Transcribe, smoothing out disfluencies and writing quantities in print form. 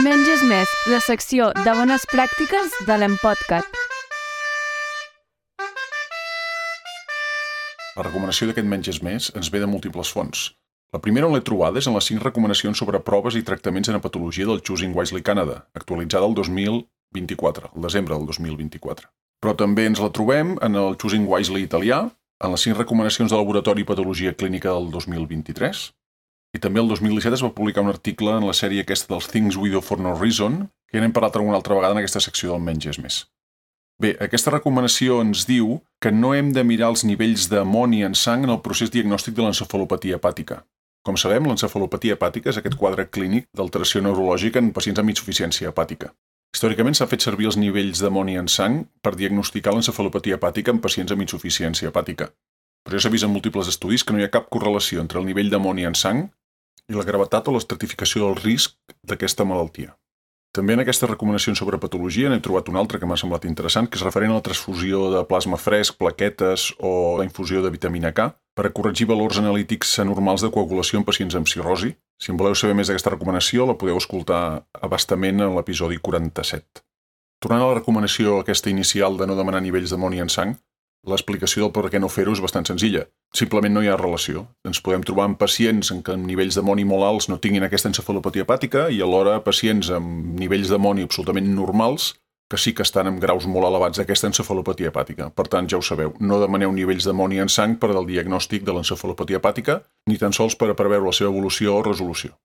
Menys és més, la secció de bones pràctiques de l'Empodcat. La recomanació d'aquest Menys és més ens ve de múltiples fonts. La primera on l'he trobada és en les 5 recomanacions sobre proves i tractaments en hepatologia del Choosing Wisely Canada, actualitzada el 2024, el desembre del 2024. Però també ens la trobem en el Choosing Wisely italià, en les 5 recomanacions de laboratori i patologia clínica del 2023, i també el 2017 es va publicar un article en la sèrie aquesta dels Things We Do For No Reason, que ja n'hem parlat alguna altra vegada en aquesta secció del Menys és més. Bé, aquesta recomanació ens diu que no hem de mirar els nivells d'amoni en sang en el procés diagnòstic de l'encefalopatia hepàtica. Com sabem, l'encefalopatia hepàtica és aquest quadre clínic d'alteració neurològica en pacients amb insuficiència hepàtica. Històricament s'ha fet servir els nivells d'amoni en sang per diagnosticar l'encefalopatia hepàtica en pacients amb insuficiència hepàtica. Però ja s'ha vist en múltiples estudis que no hi ha cap correlació entre el nivell d'amoni en sang i la gravetat o l'estratificació del risc d'aquesta malaltia. També en aquestes recomanacions sobre patologia n'he trobat una altra que m'ha semblat interessant, que és referent a la transfusió de plasma fresc, plaquetes o la infusió de vitamina K per a corregir valors analítics anormals de coagulació en pacients amb cirrosi. Si en voleu saber més d'aquesta recomanació, la podeu escoltar a bastament en l'episodi 47. Tornant a la recomanació aquesta inicial de no demanar nivells d'amoni en sang, l'explicació del per què no fer-ho és bastant senzilla. Simplement no hi ha relació. Ens podem trobar amb pacients en què amb nivells d'amoni molt alts no tinguin aquesta encefalopatia hepàtica i alhora pacients amb nivells d'amoni absolutament normals que sí que estan amb graus molt elevats d'aquesta encefalopatia hepàtica. Per tant, ja ho sabeu, no demaneu nivells d'amoni en sang per al diagnòstic de l'encefalopatia hepàtica ni tan sols per a preveure la seva evolució o resolució.